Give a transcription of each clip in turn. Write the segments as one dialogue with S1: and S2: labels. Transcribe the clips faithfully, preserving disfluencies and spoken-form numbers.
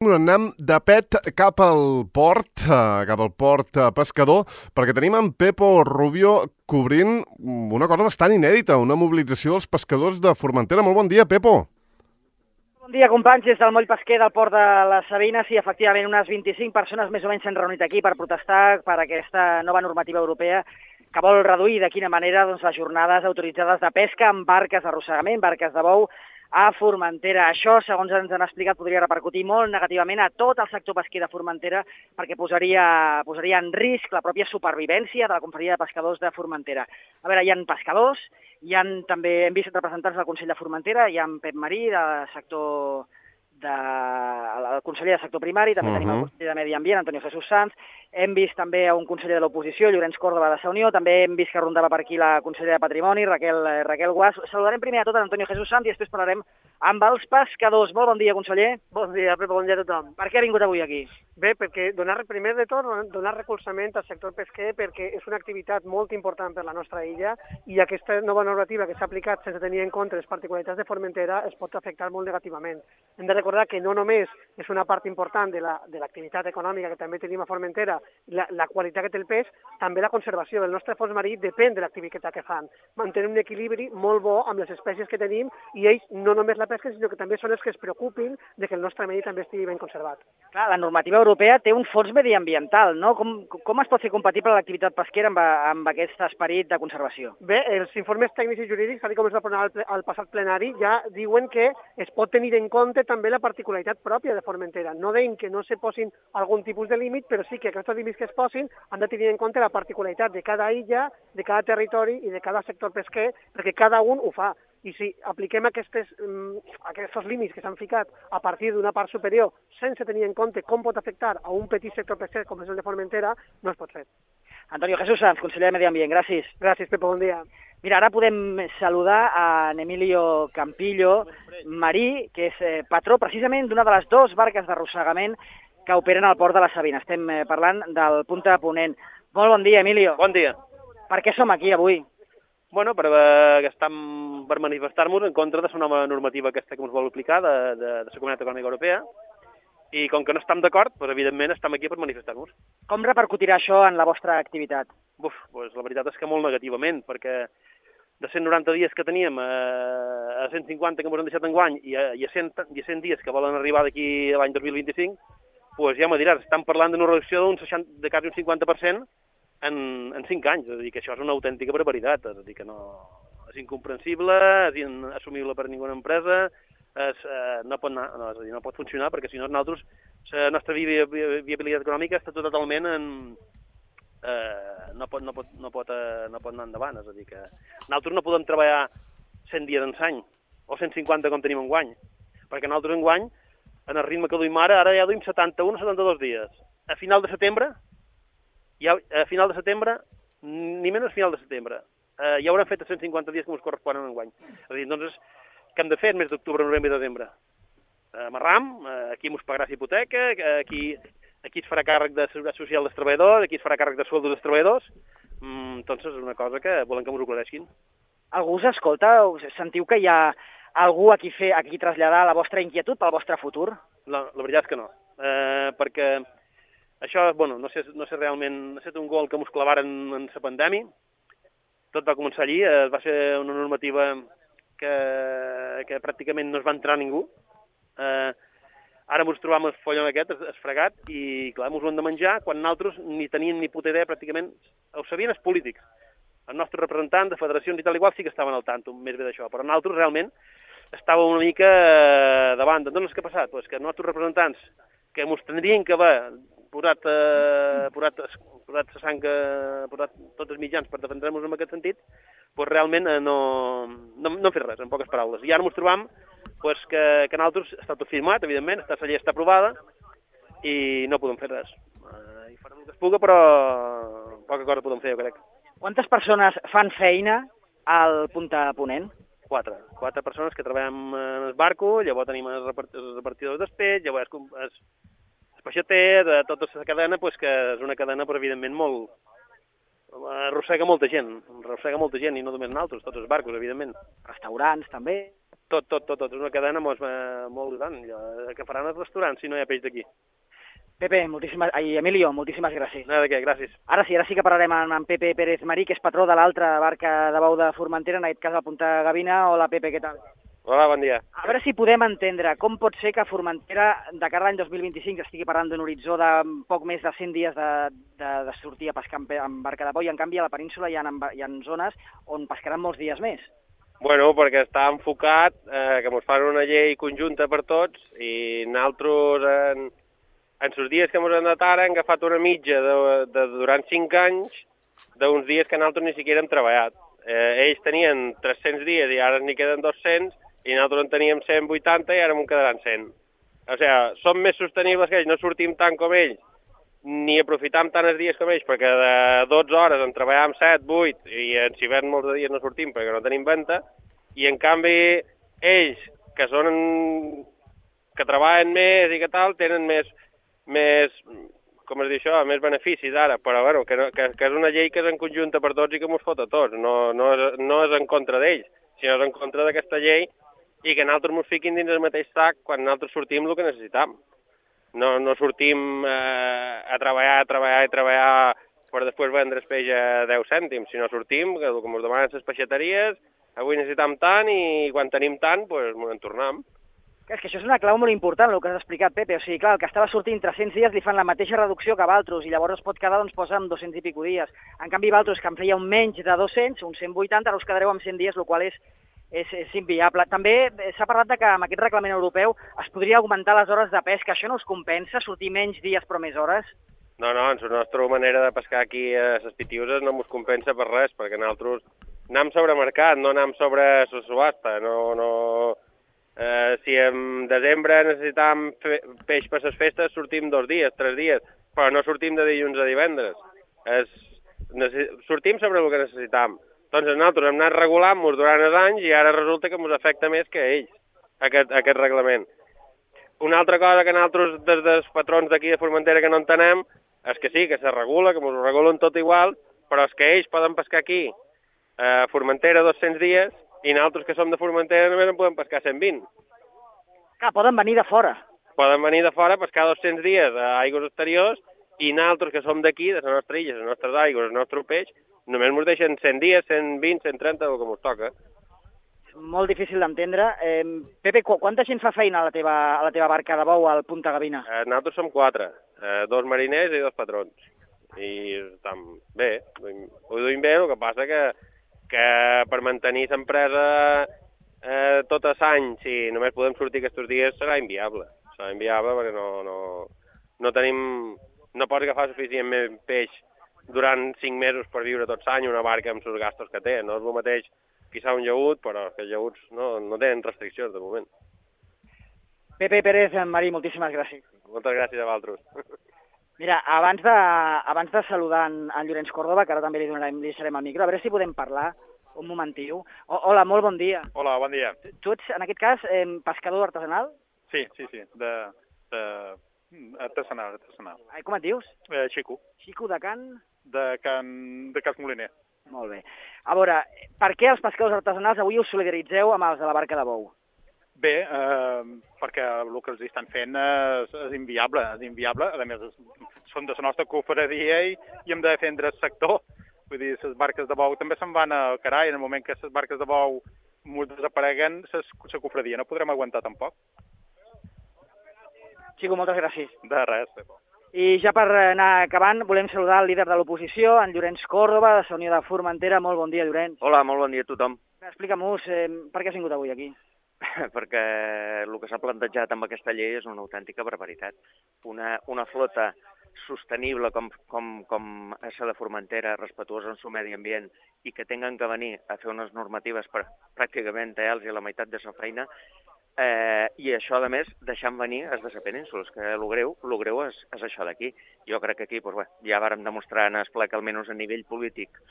S1: Anem de pet cap al port, eh, cap al port eh, pescador, perquè tenim en Pepo Rubio cobrint una cosa bastant inèdita, una mobilització dels pescadors de Formentera. Molt bon dia, Pepo.
S2: Bon dia, companys. Des del moll pesquer del port de les Sabines, i efectivament unes vint-i-cinc persones més o menys s'han reunit aquí per protestar per aquesta nova normativa europea que vol reduir de quina manera doncs, les jornades autoritzades de pesca amb barques d'arrossegament, barques de bou, a Formentera. Això, segons ens han explicat, podria repercutir molt negativament a tot el sector pesquer de Formentera perquè posaria, posaria en risc la pròpia supervivència de la Confraria de Pescadors de Formentera. A veure, hi ha pescadors, hi ha també, hem vist representants del Consell de Formentera, hi ha en Pep Marí, del sector de, el conseller de sector primari, també uh -huh. tenim el conseller de Medi Ambient, Antonio Jesús Sanz, hem vist també a un conseller de l'oposició, Llorenç Córdoba de Sa Unió, també hem vist que rondava per aquí la consellera de Patrimoni, Raquel, Raquel Guas. Saludarem primer a tot a Antonio Jesús Sanz i després parlarem amb els pescadors. Molt bon dia, conseller.
S3: Bon dia, Pepo, bon dia a tothom.
S2: Per què ha vingut avui aquí?
S3: Bé, perquè donar, primer de tot, donar recolzament al sector pesquer perquè és una activitat molt important per la nostra illa i aquesta nova normativa que s'ha aplicat sense tenir en compte les particularitats de Formentera es pot afectar molt negativament. Hem de recordar que no només és una part important de la, de l'activitat econòmica que també tenim a Formentera, la, la qualitat que té el peix, també la conservació del nostre fons marí depèn de l'activitat que fan. Mantenen un equilibri molt bo amb les espècies que tenim i ells no només la pesquen, sinó que també són els que es preocupin de que el nostre medi també estigui ben conservat.
S2: Clar, la normativa europea té un fons mediambiental, no? Com, com es pot fer compatible l'activitat pesquera amb, amb aquest esperit de conservació?
S3: Bé, els informes tècnics i jurídics, tal com es va aprovar al, al passat plenari, ja diuen que es pot tenir en compte també la particularitat pròpia de Formentera. No deim que no se posin algun tipus de límit, però sí que aquests límits que es posin han de tenir en compte la particularitat de cada illa, de cada territori i de cada sector pesquer, perquè cada un ho fa. I si apliquem aquestes, um, aquests límits que s'han ficat a partir d'una part superior sense tenir en compte com pot afectar a un petit sector pesquer com és el de Formentera, no es pot fer.
S2: Antonio Jesús Sanz, conseller de Medi Ambient, gràcies.
S3: Gràcies, Pepo, bon dia.
S2: Mira, ara podem saludar a Emilio Campillo Marí, que és eh, patró precisament d'una de les dues barques d'arrossegament que operen al port de les Sabines. Estem eh, parlant del Punta Ponent. Molt bon dia, Emilio.
S4: Bon dia.
S2: Per què som aquí avui?
S4: Bueno, per, eh, estem, per manifestar-nos en contra de la nova normativa aquesta que ens vol aplicar de, de, de la Comunitat Econòmica Europea, i com que no estem d'acord, doncs, evidentment estem aquí per manifestar-nos.
S2: Com repercutirà això en la vostra activitat?
S4: Uf, doncs la veritat és que molt negativament, perquè de cent noranta dies que teníem a, a cent cinquanta que ens han deixat enguany i a, i, a cent, i a cent dies que volen arribar d'aquí a l'any dos mil vint-i-cinc, doncs ja m'ho diràs, estan parlant d'una reducció d'un seixanta, de quasi un cinquanta per cent en, en cinc anys. És a dir, que això és una autèntica barbaritat, és a dir, que no, és incomprensible, és inassumible per ninguna empresa, és, eh, no, pot anar, no, és a dir, no pot funcionar, perquè si no nosaltres, la nostra vi, vi, viabilitat econòmica està totalment en... Eh, no, pot, no, pot, no, pot, eh, no pot anar endavant, és a dir, que nosaltres no podem treballar cent dies en l'any, o cent cinquanta com tenim enguany, perquè nosaltres enguany, en el ritme que duim ara, ara ja duim setanta-un o setanta-dos dies. A final de setembre, ja, a final de setembre, ni menys a final de setembre, eh, ja haurem fet cent cinquanta dies que ens corresponen enguany. És a dir, doncs, què hem de fer el mes d'octubre, novembre i desembre? Eh, Amarram, eh, aquí ens pagarà la hipoteca, aquí... Aquí es farà càrrec de seguretat social dels treballadors, aquí es farà càrrec de sueldos dels treballadors. Mm, entonces, és una cosa que volem que ens ho aclareixin.
S2: Algú us escolta? Sentiu que hi ha algú a qui, fer, a qui traslladar la vostra inquietud pel vostre futur?
S4: La, la veritat és que no, eh, perquè això, bueno, no sé, no sé realment, ha estat un gol que ens clavaren en la pandèmia. Tot va començar allí, eh, va ser una normativa que, que pràcticament no es va entrar ningú. Eh, Ara ens trobam el follon aquest, esfregat, i clar, ens ho hem de menjar quan nosaltres ni tenien ni puta idea, pràcticament, ho sabien els polítics. Els nostres representants de federacions i tal igual sí que estaven al tanto, més bé d'això, però nosaltres realment estàvem una mica davant. Doncs què ha passat? Pues que els nostres representants, que ens tindrien que haver posat, eh, posat, posat, sang, eh, posat tots els mitjans per defendre-nos en aquest sentit, pues realment eh, no, no, no han fet res, en poques paraules. I ara ens trobam pues que, que nosaltres està tot firmat, evidentment, aquesta llei està aprovada i no podem fer res. Uh, I farem el que es puga, però poca cosa podem fer, jo crec.
S2: Quantes persones fan feina al Punta Ponent?
S4: Quatre. Quatre persones que treballem en el barco, llavors tenim els repartidors d'espeix, llavors els, els peixaters, tota la cadena, pues, que és una cadena, però evidentment, molt... arrossega molta gent, arrossega molta gent, i no només nosaltres, tots els barcos, evidentment.
S2: Restaurants, també?
S4: tot, tot, tot, tot. És una cadena molt, molt gran, que faran els restaurants si no hi ha peix d'aquí.
S2: Pepe, moltíssimes... Ai, Emilio, moltíssimes gràcies.
S4: No, de què, gràcies.
S2: Ara sí, ara sí que parlarem amb, amb Pepe Pérez Marí, que és patró de l'altra barca de bou de Formentera, en aquest cas a Punta Gavina. Hola, Pepe, què tal?
S4: Hola, bon dia.
S2: A veure si podem entendre com pot ser que Formentera, de cara a l'any dos mil vint-i-cinc, estigui parlant d'un horitzó de poc més de cent dies de, de, de sortir a pescar amb barca de bou, i en canvi a la península hi ha, hi ha zones on pescaran molts dies més.
S4: Bueno, perquè està enfocat eh, que ens fan una llei conjunta per tots i nosaltres en, en els dies que ens han dat ara hem agafat una mitja de, de, durant cinc anys d'uns dies que nosaltres ni siquiera hem treballat. Eh, ells tenien tres-cents dies i ara n'hi queden dos-cents, i nosaltres en teníem cent vuitanta i ara m'en quedaran cent. O sigui, som més sostenibles que ells, no sortim tant com ells, ni aprofitam tant els dies com ells, perquè de dotze hores en treballem set, vuit, i en hivern molts de dies no sortim perquè no tenim venta, i en canvi ells, que són que treballen més i que tal, tenen més, més com es diu això, més beneficis ara, però bueno, que, no, que, que és una llei que és en conjunta per tots i que mos fot a tots, no, no, és, no és en contra d'ells, sinó és en contra d'aquesta llei i que nosaltres ens fiquin dins el mateix sac quan nosaltres sortim el que necessitam. No, no sortim eh, a treballar, a treballar i treballar per després vendre el peix a deu cèntims, sinó sortim, que el que ens demanen les peixateries, avui necessitam tant i quan tenim tant, doncs ens en tornem.
S2: És que això és una clau molt important, el que has explicat, Pepe. O sigui, clar, el que estava sortint tres-cents dies li fan la mateixa reducció que Valtros i llavors es pot quedar, doncs, posa amb dos-cents i pico dies. En canvi, Valtros, que en feia un menys de dos-cents, uns cent vuitanta, ara us quedareu amb cent dies, el qual és És, és inviable. També s'ha parlat de que amb aquest reglament europeu es podria augmentar les hores de pesca. Això no us compensa, sortir menys dies però més hores?
S4: No, no, en la nostra manera de pescar aquí a les Pitiuses no ens compensa per res, perquè nosaltres anem sobre mercat, no anem sobre la subhasta. No, no... Eh, si en desembre necessitam fe... peix per les festes, sortim dos dies, tres dies, però no sortim de dilluns a divendres. Es... Necess... Sortim sobre el que necessitam. Doncs nosaltres hem anat regulant-nos durant els anys i ara resulta que ens afecta més que a ells, aquest, aquest reglament. Una altra cosa que nosaltres, des dels patrons d'aquí de Formentera, que no entenem, és que sí, que se regula, que ens ho regulen tot igual, però és que ells poden pescar aquí a Formentera dos-cents dies i nosaltres, que som de Formentera, només en podem pescar cent vint.
S2: Clar, poden venir de fora.
S4: Poden venir de fora a pescar dos-cents dies a aigües exteriors i nosaltres, que som d'aquí, de la nostra illa, les nostres aigües, el nostre peix, només ens deixen cent dies, cent vint, cent trenta, el que ens toca.
S2: És molt difícil d'entendre. Eh, Pepe, qu quanta gent fa feina a la teva, a la teva barca de bou al Punta Gavina?
S4: Eh, nosaltres som quatre, eh, dos mariners i dos patrons. I estem bé, ho duim bé, el que passa que, que per mantenir l'empresa eh, tot l'any, si només podem sortir aquests dies, serà inviable. Serà inviable perquè no, no, no tenim... No pots agafar suficient peix durant cinc mesos per viure tot l'any una barca amb els gastos que té. No és el mateix pisar un llaüt, però els llaüts no, no tenen restriccions de moment.
S2: Pepe Pérez Marí, moltíssimes gràcies.
S4: Moltes gràcies a vosaltres.
S2: Mira, abans de, abans de saludar en, en Llorenç Córdoba, que ara també li, donarem, li deixarem el micro, a veure si podem parlar un momentiu. O, hola, molt bon dia.
S5: Hola, bon dia.
S2: Tu ets, en aquest cas, eh, pescador artesanal?
S5: Sí, sí, sí, de, de artesanal, artesanal.
S2: Ai, com et dius?
S5: Eh, Xico.
S2: Xico de Can?
S5: De Can, de Cas Moliner.
S2: Molt bé. A veure, per què els pescadors artesanals avui us solidaritzeu amb els de la barca de bou?
S5: Bé, eh, perquè el que els estan fent és, és inviable, és inviable. A més, són de la nostra cofradia i, i hem de defendre el sector. Vull dir, les barques de bou també se'n van al carai. En el moment que les barques de bou desapareguen, la cofradia no podrem aguantar tampoc.
S2: Xico, moltes gràcies.
S5: De res.
S2: I ja per anar acabant, volem saludar el líder de l'oposició, en Llorenç Córdoba, de la Unió de Formentera. Molt bon dia, Llorenç.
S6: Hola, molt bon dia a tothom.
S2: Explica'm-nos, eh, per què has vingut avui aquí?
S6: Perquè el que s'ha plantejat amb aquesta llei és una autèntica barbaritat. Una, una flota sostenible com, com, com és la de Formentera, respetuosa amb el medi ambient i que tinguin que venir a fer unes normatives per pràcticament a ells i a la meitat de la feina, eh, i això, a més, deixant venir els de la península, que el greu, el greu és, és això d'aquí. Jo crec que aquí doncs, bé, ja vàrem demostrar en el ple que almenys a nivell polític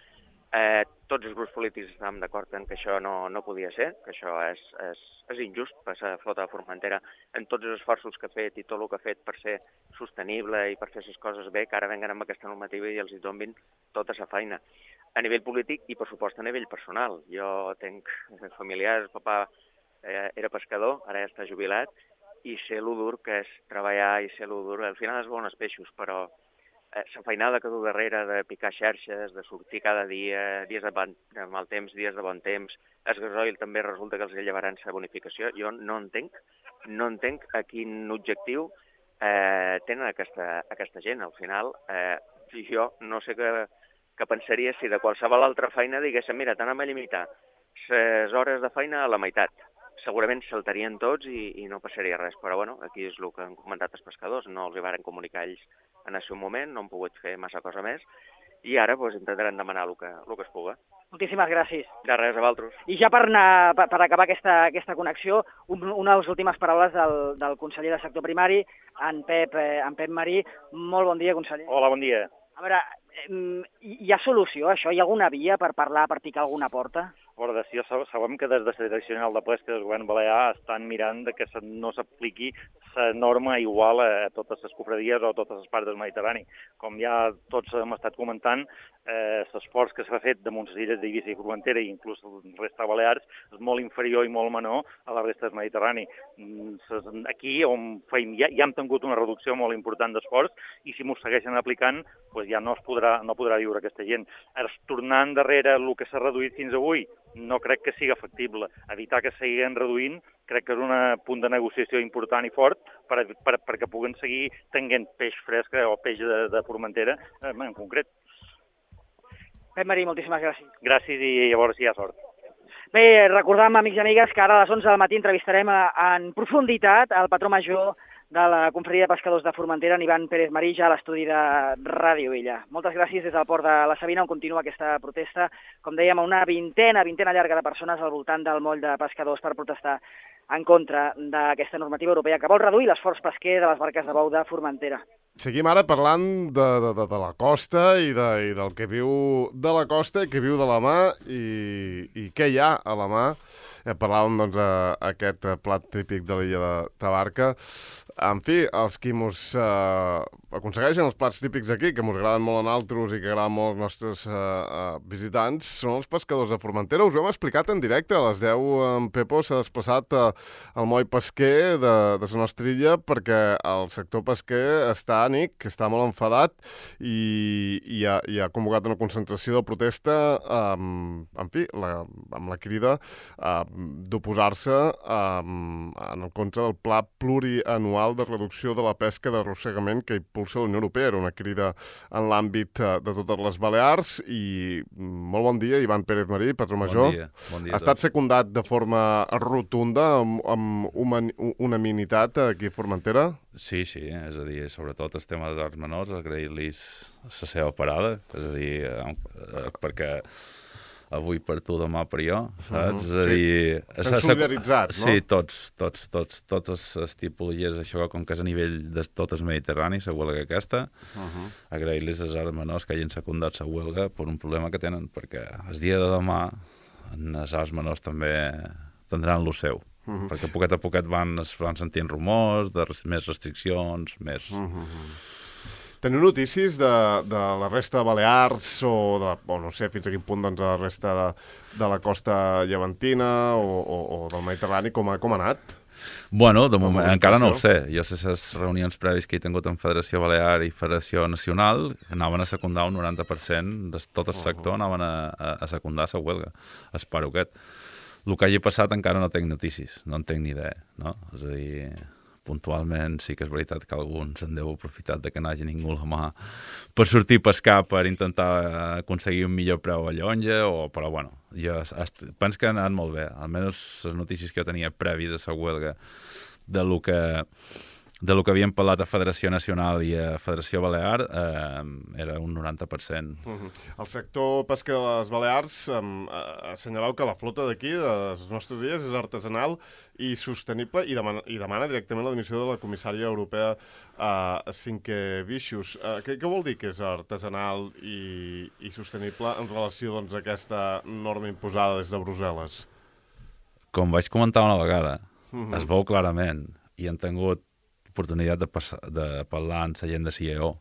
S6: Eh, tots els grups polítics estàvem d'acord en que això no, no podia ser, que això és, és, és injust per la flota de Formentera en tots els esforços que ha fet i tot el que ha fet per ser sostenible i per fer les coses bé, que ara venguen amb aquesta normativa i els hi donin tota la feina. A nivell polític i, per supost, a nivell personal. Jo tinc familiars, el papà eh, era pescador, ara ja està jubilat, i sé lo dur que és treballar i sé lo dur. Al final es veuen els peixos, però eh, la feinada que du darrere de picar xarxes, de sortir cada dia, dies de, bon, de mal temps, dies de bon temps, el gasoil també resulta que els llevaran la bonificació. Jo no entenc, no entenc a quin objectiu eh, tenen aquesta, aquesta gent. Al final, eh, jo no sé què, què pensaria si de qualsevol altra feina diguéssim, mira, t'anem a limitar les hores de feina a la meitat. Segurament saltarien tots i, i no passaria res, però bueno, aquí és el que han comentat els pescadors, no els hi varen comunicar ells en el seu moment, no han pogut fer massa cosa més, i ara pues, intentaran demanar el que, el que es puga.
S2: Moltíssimes gràcies.
S6: De res, a vosaltres.
S2: I ja per, anar, per, per acabar aquesta, aquesta connexió, un, una de les últimes paraules del, del conseller de sector primari, en Pep, eh, en Pep Marí. Molt bon dia, conseller.
S7: Hola, bon dia.
S2: A veure, eh, hi ha solució a això? Hi ha alguna via per parlar, per picar alguna porta?
S7: A veure, si sabem que des de la Direcció General de Pesca del Govern Balear estan mirant de que no s'apliqui la norma igual a totes les cofradies o a totes les parts del Mediterrani. Com ja tots hem estat comentant, eh, l'esforç que s'ha fet damunt les illes d'Eivissa i Formentera i inclús la resta de Balears és molt inferior i molt menor a la resta del Mediterrani. Aquí on feim, ja, ja hem tingut una reducció molt important d'esforç i si m'ho segueixen aplicant pues ja no es podrà, no podrà viure aquesta gent. Ara, tornant darrere el que s'ha reduït fins avui, no crec que sigui factible. Evitar que seguin reduint crec que és un punt de negociació important i fort per, per, perquè puguen seguir tenint peix fresc o peix de, de Formentera en concret.
S2: Pep Marí, moltíssimes gràcies.
S7: Gràcies i llavors hi ha sort.
S2: Bé, recordam, amics i amigues, que ara a les onze del matí entrevistarem en profunditat el patró major de la Confraria de Pescadors de Formentera, en Ivan Pérez Marí, ja a l'estudi de Ràdio Illa. Moltes gràcies des del port de la Sabina, on continua aquesta protesta. Com dèiem, una vintena, vintena llarga de persones al voltant del moll de pescadors per protestar en contra d'aquesta normativa europea que vol reduir l'esforç pesquer de les barques de bou de Formentera.
S1: Seguim ara parlant de, de, de, de la costa i, de, i del que viu de la costa i que viu de la mà i, i què hi ha a la mà. Eh, parlàvem doncs d'aquest plat típic de l'illa de Tabarca. En fi, els qui mos eh, aconsegueixen els plats típics aquí, que mos agraden molt a nosaltres i que agraden molt als nostres eh, eh, visitants, són els pescadors de Formentera. Us ho hem explicat en directe. A les deu en Pepo s'ha desplaçat eh, al moll pesquer de, de la nostra illa perquè el sector pesquer està ànic, està molt enfadat i, i, ha, i ha convocat una concentració de protesta amb, en fi, la, amb la crida eh, d'oposar-se eh, en contra del pla plurianual de reducció de la pesca d'arrossegament que impulsa la Unió Europea. Era una crida en l'àmbit de totes les Balears i molt bon dia, Ivan Pérez Marí, patró major.
S8: Bon dia. Bon dia
S1: ha estat secundat de forma rotunda amb, amb unanimitat aquí a Formentera?
S8: Sí, sí, és a dir, sobretot el tema dels arts menors, agrair-los la seva parada, és a dir, eh, perquè avui per tu, demà per jo, saps? Uh -huh, és a dir...
S1: Sí. S'han solidaritzat, no?
S8: Sí, tots, tots, tots, totes les tipologies, això, com que és a nivell de tot el Mediterrani, la huelga aquesta, uh -huh. agrair-los als arts menors que hagin secundat la huelga per un problema que tenen, perquè el dia de demà els arts menors també tindran lo seu. Uh -huh. Perquè poquet a poquet van, van sentint rumors de res, més restriccions, més... Uh -huh.
S1: Teniu notícies de, de la resta de Balears o, de, o no sé fins a quin punt doncs, de la resta de, de la costa llevantina o, o, o del Mediterrani, com ha, com ha anat?
S8: Bueno, de moment encara no ho sé. Jo sé les reunions prèvies que he tingut en Federació Balear i Federació Nacional anaven a secundar un noranta per cent de tot el sector, anaven a, a, a secundar la huelga. Espero aquest. El que hagi passat encara no tinc notícies, no en tinc ni idea, no? És a dir, puntualment sí que és veritat que alguns en deu aprofitar de que no hagi ningú a la mà per sortir a pescar, per intentar aconseguir un millor preu a llonja, o, però bueno, jo penso que ha anat molt bé, almenys les notícies que jo tenia prèvies a la huelga de lo que de lo que havíem parlat a Federació Nacional i a Federació Balear eh, era un noranta per cent.
S1: Uh -huh. El sector pesquer de les Balears eh, assenyaleu que la flota d'aquí, de les nostres illes, és artesanal i sostenible i demana, i demana directament la dimissió de la comissària europea eh, Sinkevičius. Eh, què, què vol dir que és artesanal i, i sostenible en relació doncs, a aquesta norma imposada des de Brussel·les?
S8: Com vaig comentar una vegada, uh -huh. es veu clarament i han tingut oportunitat de, passar, de parlar amb la gent de C I E O,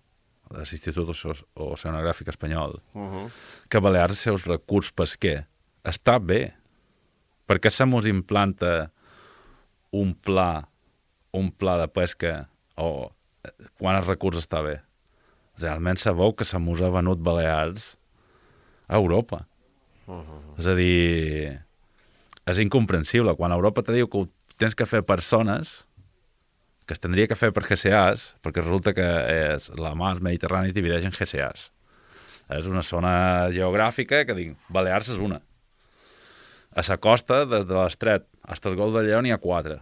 S8: de l'Institut Oceanogràfic Espanyol, uh -huh. que Balears els seus recurs pesquer està bé. Per què se mos implanta un pla, un pla de pesca o quan el recurs està bé. Realment sabeu que se mos ha venut Balears a Europa. Uh-huh. És a dir, és incomprensible. Quan Europa te diu que ho tens que fer persones, que es tindria que fer per G C As, perquè resulta que és, la mar Mediterrània es divideix en G C As. És una zona geogràfica que dic, Balears és una. A la costa, des de l'Estret fins al Golf de Lleó n'hi ha quatre.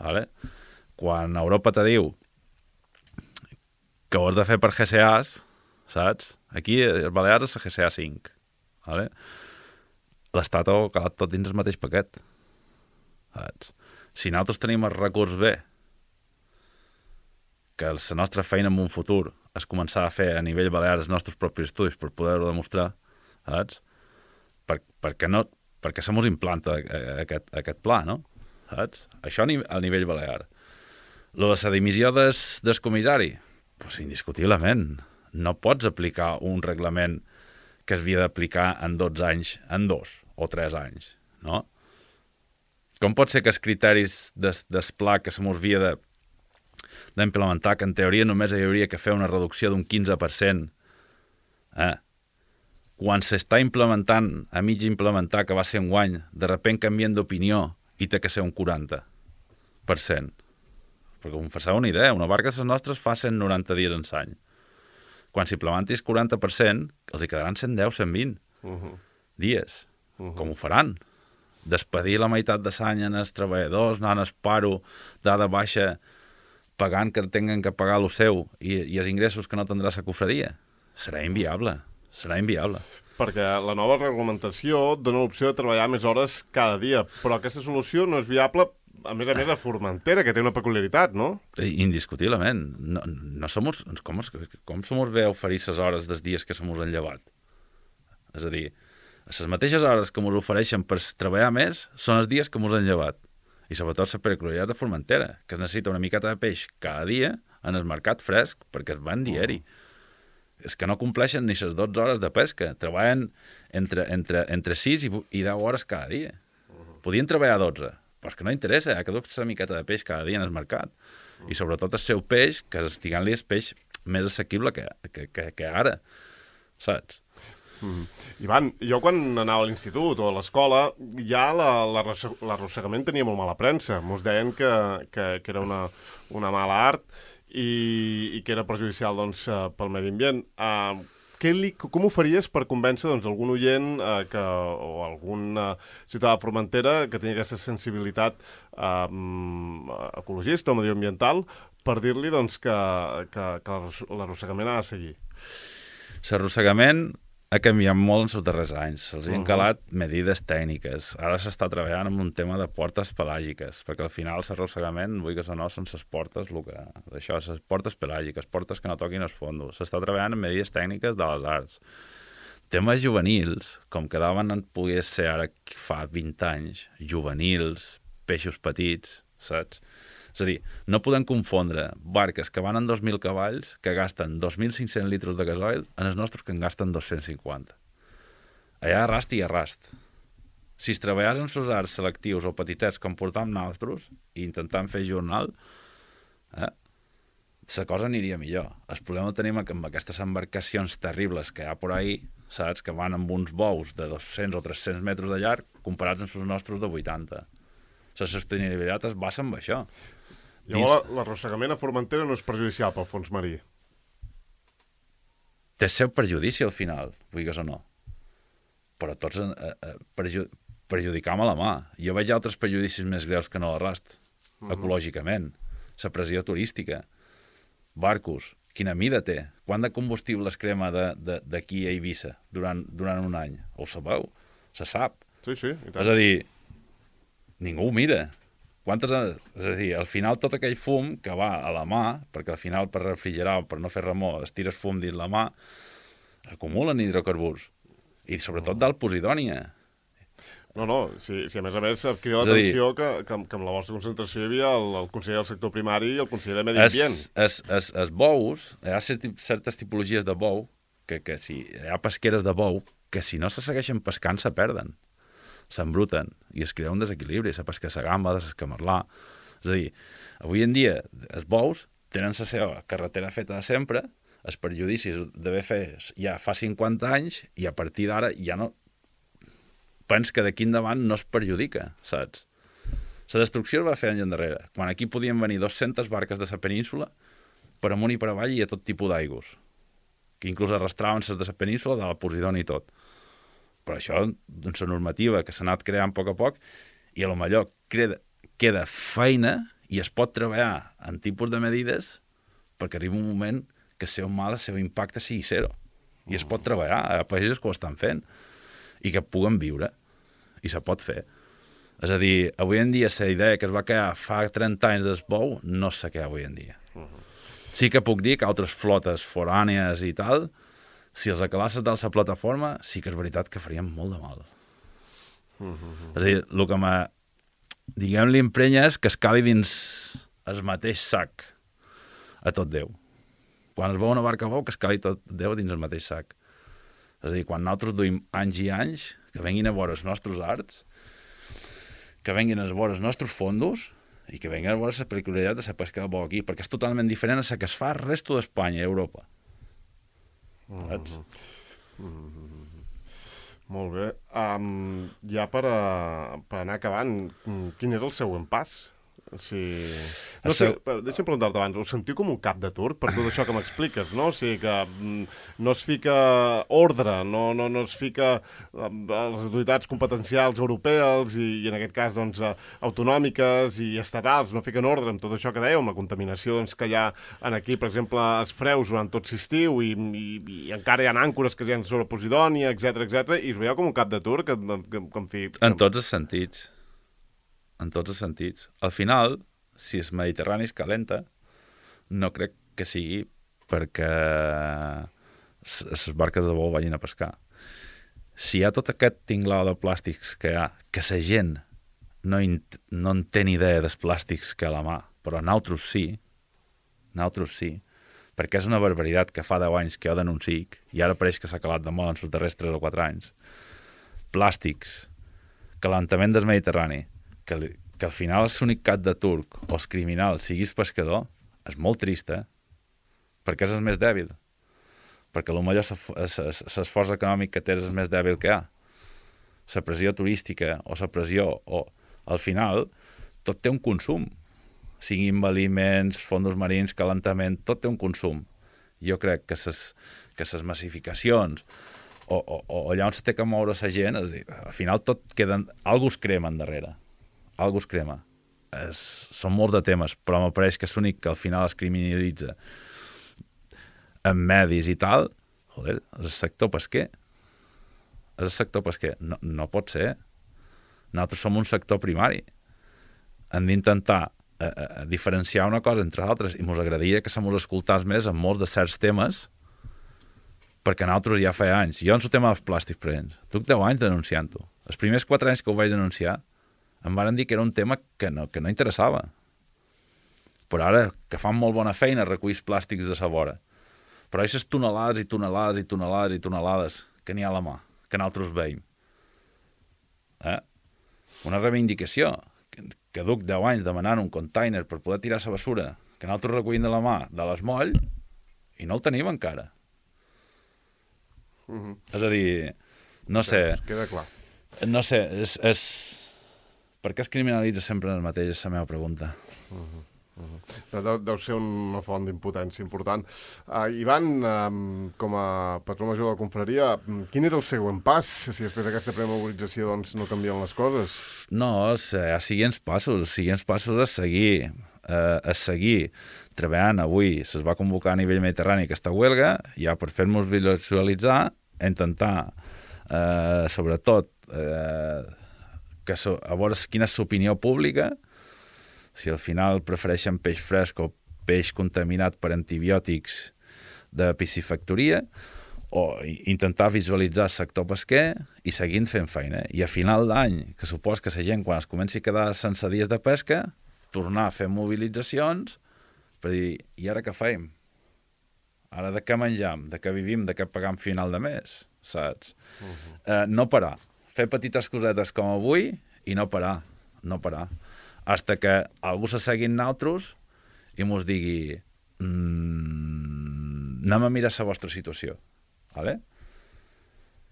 S8: Vale? Quan Europa te diu que ho has de fer per G C As, saps? Aquí, els Balears és la G C A cinc. Vale? L'Estat ha calat tot dins el mateix paquet. Saps? Si nosaltres tenim el recurs bé, que la nostra feina en un futur és començar a fer a nivell balear els nostres propis estudis per poder-ho demostrar, saps? Per, per què no... perquè se mos implanta aquest, aquest pla, no? Saps? Això a nivell balear. Lo de la dimissió des, des comissari, pues indiscutiblement. No pots aplicar un reglament que es havia d'aplicar en dotze anys, en dos o tres anys, no? Com pot ser que els criteris des, des pla que se mos havia de d'implementar, que en teoria només hi hauria que fer una reducció d'un quinze per cent, eh? Quan s'està implementant, a mig implementar, que va ser un guany, de repent canvien d'opinió i té que ser un quaranta per cent. Perquè com fa una idea, una barca de les nostres fa cent noranta dies en l'any. Quan s'implementis quaranta per cent, els hi quedaran cent deu, cent vint uh-huh. dies. Uh-huh. Com ho faran? Despedir la meitat de l'any en els treballadors, anant al paro, dada baixa, pagant que tinguin que pagar el seu i, i els ingressos que no tindrà la cofradia. Serà inviable. Serà inviable.
S1: Perquè la nova reglamentació dona l'opció de treballar més hores cada dia, però aquesta solució no és viable, a més a més, a Formentera, que té una peculiaritat, no?
S8: Indiscutiblement. No, no som, com, com som bé oferir les hores dels dies que som han llevat? És a dir, les mateixes hores que ens ofereixen per treballar més són els dies que ens han llevat. I sobretot la peculiaritat de Formentera, que es necessita una miqueta de peix cada dia en el mercat fresc, perquè es van diari. Uh-huh. És que no compleixen ni les dotze hores de pesca. Treballen entre, entre, entre sis i, i deu hores cada dia. Uh-huh. Podien treballar dotze, però és que no interessa, ha que dur una miqueta de peix cada dia en el mercat. Uh-huh. I sobretot el seu peix, que estigant-li el peix més assequible que, que, que, que ara. Saps?
S1: Mm. Ivan, jo quan anava a l'institut o a l'escola, ja l'arrossegament tenia molt mala premsa. Mos deien que, que, que era una, una mala art i, i que era perjudicial doncs, pel medi ambient. Uh, què li, com ho faries per convèncer doncs, algun oient uh, que, o algun uh, ciutadà de Formentera que tingui aquesta sensibilitat uh, ecologista o medioambiental per dir-li doncs, que, que, que l'arrossegament ha de seguir?
S8: L'arrossegament ha canviat molt en els darrers anys. Se'ls uh-huh. han calat medides tècniques. Ara s'està treballant en un tema de portes pelàgiques, perquè al final l'arrossegament, vull que o no, són les portes, el que, això, les portes pelàgiques, portes que no toquin els fondos. S'està treballant en medides tècniques de les arts. Temes juvenils, com quedaven en pogués ser ara fa vint anys, juvenils, peixos petits, saps? És a dir, no podem confondre barques que van en dos mil cavalls, que gasten dos mil cinc-cents litres de gasoil, en els nostres que en gasten dos-cents cinquanta. Allà arrast i arrast. Si es treballés amb els arts selectius o petitets com portàvem nosaltres i intentant fer jornal, eh, la cosa aniria millor. El problema el tenim amb aquestes embarcacions terribles que hi ha por ahí, saps, que van amb uns bous de dos-cents o tres-cents metres de llarg comparats amb els nostres de vuitanta. La sostenibilitat es basa en això.
S1: Llavors, l'arrossegament a Formentera no és perjudicial pel fons marí?
S8: Té el seu perjudici al final, vulguis o no. Però tots eh, eh, perju perjudicam a la mà. Jo veig altres perjudicis més greus que no l'arrast, uh-huh. ecològicament. La pressió turística. Barcos. Quina mida té? Quant de combustible es crema d'aquí a Eivissa durant, durant un any? Ho sabeu? Se sap.
S1: Sí, sí. I tant.
S8: És a dir, ningú ho mira. Quantes, és a dir, al final tot aquell fum que va a la mà, perquè al final per refrigerar o per no fer remor es tires fum dins la mà, acumulen hidrocarburs. I sobretot del posidònia.
S1: No, no, si, si a més a més et crida l'atenció que, que, que amb la vostra concentració hi havia el, el conseller del sector primari i el conseller de Medi Ambient.
S8: Els, els, els bous, hi ha certes tipologies de bou, que, que si hi ha pesqueres de bou, que si no se segueixen pescant se perden. s'embruten i es crea un desequilibri, la pesca de la gamba, de l'escamarlà. És a dir, avui en dia els bous tenen la seva carretera feta de sempre, els perjudicis d'haver fet ja fa cinquanta anys i a partir d'ara ja no... Pens que d'aquí endavant no es perjudica, saps? La destrucció es va fer anys endarrere, quan aquí podien venir dues-centes barques de la península per amunt i per avall i a tot tipus d'aigües, que inclús arrastraven les de la península, de la Posidònia i tot. Però això, doncs, la normativa que s'ha anat creant a poc a poc, i a lo millor queda, queda feina i es pot treballar en tipus de medides perquè arriba un moment que el seu mal, el seu impacte sigui zero. I es pot treballar a països que ho estan fent i que puguen viure. I se pot fer. És a dir, avui en dia la idea que es va quedar fa trenta anys del bou no se queda avui en dia. Sí que puc dir que altres flotes forànies i tal, si els acalasses de la plataforma, sí que és veritat que farien molt de mal. És a dir, el que me, diguem-li, emprenya és que es cali dins el mateix sac a tot Déu. Quan es veu una barca bou, que es cali tot Déu dins el mateix sac. És a dir, quan nosaltres duim anys i anys, que venguin a veure els nostres arts, que venguin a veure els nostres fondos i que venguin a veure la peculiaritat de la pesca de bou aquí, perquè és totalment diferent a la que es fa al resto d'Espanya i Europa. Saps?
S1: Mm-hmm. Molt bé. Um, ja per, a, per anar acabant, quin era el següent pas? Sí. No sé, deixa'm preguntar-te abans, us sentiu com un cap de turc per tot això que m'expliques, no? O sigui que no es fica ordre, no, no, no es fica les autoritats competencials europees i, i en aquest cas doncs, autonòmiques i estatals, no fiquen ordre amb tot això que dèieu, amb la contaminació doncs, que hi ha en aquí, per exemple, els freus durant tot l'estiu i, i, i encara hi ha àncores que hi ha sobre Posidònia, etcètera, etcètera, i us veieu com un cap de turc? Que, que, que, en fi, que...
S8: En tots els sentits. En tots els sentits. Al final, si el Mediterrani es calenta, no crec que sigui perquè les barques de bou vagin a pescar. Si hi ha tot aquest tinglau de plàstics que hi ha, que la gent no, no en té ni idea dels plàstics que a la mà, però nosaltres sí, nosaltres sí, perquè és una barbaritat que fa deu anys que jo denuncic, i ara pareix que s'ha calat de moda en els darrers tres o quatre anys. Plàstics, calentament del Mediterrani, que, que al final és l'únic cap de turc o el criminal siguis pescador, és molt trist, eh? Perquè és el més dèbil. Perquè potser l'esforç econòmic que tens és el més dèbil que hi ha. La pressió turística o la pressió, o al final, tot té un consum. Siguin aliments, fondos marins, calentament, tot té un consum. Jo crec que les que ses massificacions o, o, o allà on se té que moure la gent, és dir, al final tot queda... Algú es crema endarrere. Algú es crema. Es, són molts de temes, però m'apareix que és l'únic que al final es criminalitza en medis i tal. Joder, és el sector pesquer. És el sector pesquer. No, no pot ser. Nosaltres som un sector primari. Hem d'intentar eh, eh, diferenciar una cosa entre altres i ens agradaria que se mos escoltés més en molts de certs temes perquè nosaltres ja feia anys. Jo en el tema dels plàstics, per exemple, duc deu anys denunciant-ho. Els primers quatre anys que ho vaig denunciar em van dir que era un tema que no, que no interessava. Però ara, que fan molt bona feina, reculls plàstics de sa vora. Però aquestes tonelades i tonelades i tonelades i tonelades que n'hi ha a la mà, que nosaltres veiem. Eh? Una reivindicació, que, que duc deu anys demanant un container per poder tirar la basura, que nosaltres recollim de la mà de l'Esmoll, i no el tenim encara. Mm-hmm. És a dir, no sé...
S1: Queda clar.
S8: No sé, és... és... Per què es criminalitza sempre el mateix? És la meva pregunta.
S1: Uh-huh, uh-huh. Deu, deu ser una font d'impotència important. Uh, Ivan, um, com a patró major de la confraria, quin era el següent pas si després d'aquesta primera mobilització doncs, no canvien les coses?
S8: No, hi ha siguients passos. Els siguients passos a seguir. Uh, a seguir treballant avui. Es va convocar a nivell mediterrani aquesta huelga, ja per fer-nos visualitzar, intentar, uh, sobretot, uh, que so, a veure quina és l'opinió pública, si al final prefereixen peix fresc o peix contaminat per antibiòtics de piscifactoria, o intentar visualitzar el sector pesquer i seguint fent feina. I a final d'any, que supos que la gent, quan es comenci a quedar sense dies de pesca, tornar a fer mobilitzacions per dir, i ara què fem? Ara de què menjam? De què vivim? De què pagam final de mes? Saps? Uh-huh. eh, no parar. fer petites cosetes com avui i no parar, no parar. Hasta que algú se segui en nosaltres i mos digui mmm, anem a mirar la vostra situació. Vale?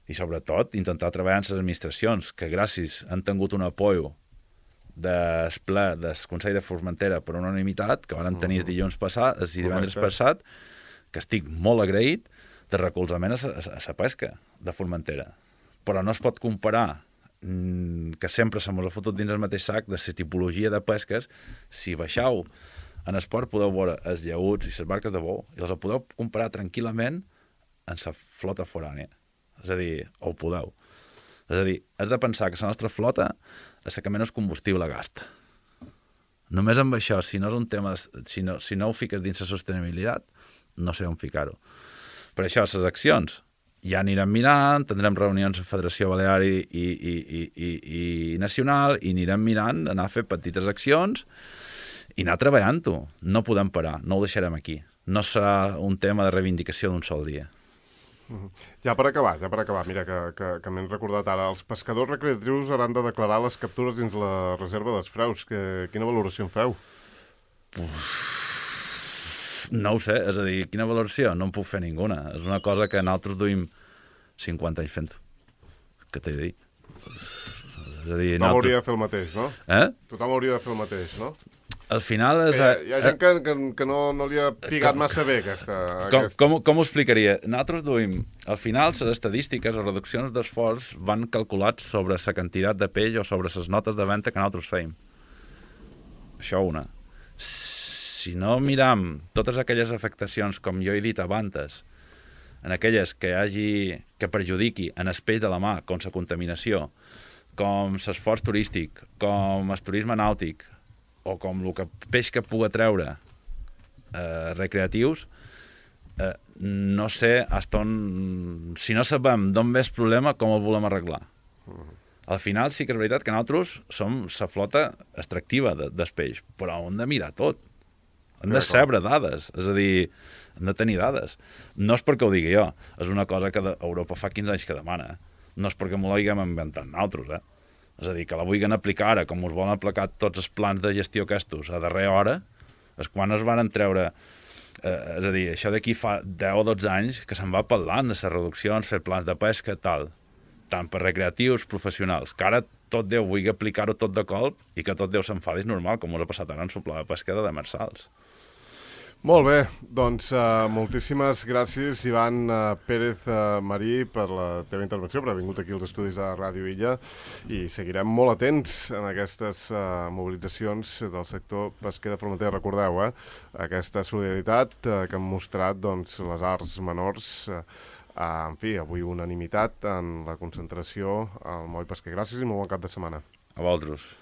S8: I sobretot intentar treballar en les administracions, que gràcies han tingut un apoio del ple del Consell de Formentera per unanimitat, que van tenir el dilluns passat, el divendres passat, que estic molt agraït, de recolzament a la pesca de Formentera. Però no es pot comparar que sempre se mos ha fotut dins el mateix sac de la tipologia de pesques. Si baixau en esport podeu veure els llauts i les barques de bou i els podeu comparar tranquil·lament en la flota forània. És a dir, ho podeu. És a dir, has de pensar que la nostra flota és la que menys combustible gasta. Només amb això, si no és un tema, si no, si no ho fiques dins la sostenibilitat, no sé on ficar-ho. Per això, les accions ja anirem mirant, tindrem reunions amb Federació Balear i, i, i, i, i, i Nacional, i anirem mirant, anar a fer petites accions i anar treballant-ho. No podem parar, no ho deixarem aquí. No serà un tema de reivindicació d'un sol dia.
S1: Ja per acabar, ja per acabar, mira, que, que, que m'he recordat ara, els pescadors recreatius hauran de declarar les captures dins la reserva dels freus. Que, quina valoració en feu?
S8: Uf, no ho sé, és a dir, quina valoració? No en puc fer ninguna. És una cosa que nosaltres duim cinquanta anys fent. Què t'he de dir? És a dir,
S1: Tothom nosaltres... hauria de fer el mateix, no?
S8: Eh?
S1: Tothom hauria de fer el mateix, no?
S8: Al final... És...
S1: Hi ha, hi ha gent que, que, que no, no li ha pigat com, massa bé aquesta...
S8: Com,
S1: aquesta...
S8: com, com ho explicaria? Nosaltres duim... Al final, les estadístiques o reduccions d'esforç van calculats sobre la quantitat de peix o sobre les notes de venda que nosaltres feim. Això una. Si no miram totes aquelles afectacions, com jo he dit abans, en aquelles que hagi que perjudiqui en el peix de la mà, com la contaminació, com l'esforç turístic, com el turisme nàutic, o com el que, peix que pugui treure eh, recreatius, eh, no sé hasta on... Si no sabem d'on ve el problema, com el volem arreglar. Uh-huh. Al final sí que és veritat que nosaltres som la flota extractiva de, del peix, però hem de mirar tot. Hem de saber dades, és a dir, hem de tenir dades. No és perquè ho digui jo, és una cosa que Europa fa quinze anys que demana. No és perquè m'ho haguem inventat nosaltres, eh? És a dir, que la vulguin aplicar ara, com us volen aplicar tots els plans de gestió aquests a darrera hora, és quan es van treure... Eh, és a dir, això d'aquí fa deu o dotze anys que se'n va parlant de les reduccions, fer plans de pesca, tal, tant per recreatius, professionals, que ara tot Déu vulgui aplicar-ho tot de colp i que tot Déu s'enfadi, és normal, com us ha passat ara en soplar de pesca de demersals.
S1: Molt bé, doncs uh, moltíssimes gràcies, Ivan uh, Pérez uh, Marí, per la teva intervenció, per haver vingut aquí als estudis de Ràdio Illa, i seguirem molt atents en aquestes uh, mobilitzacions del sector pesquer de Formentera. Recordeu, eh, aquesta solidaritat uh, que han mostrat doncs, les arts menors, uh, uh, en fi, avui unanimitat en la concentració al Moll Pesquer. Gràcies i molt bon cap de setmana.
S8: A vosaltres.